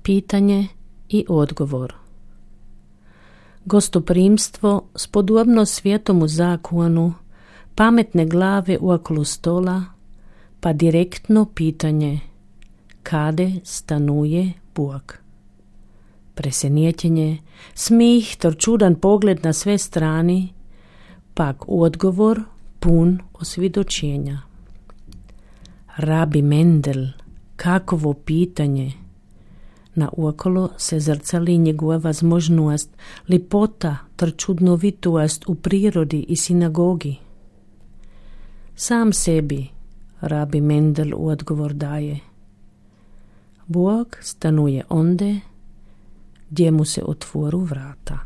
Pitanje i odgovor. Gostoprimstvo spodobno svjetomu zakonu, pametne glave uokolo stola, pa direktno pitanje kade stanuje Bog. Presenjećenje, smih, tor čudan pogled na sve strani, pak odgovor pun osvjedočenja. Rabi Mendel, kakovo pitanje! Na uokolo se zrcali njegova возможnost, lipota, ter čudnovitost u prirodi i sinagogi. Sam sebi, Rabi Mendel u odgovor daje. Bog stanuje onde gdje mu se otvoru vrata.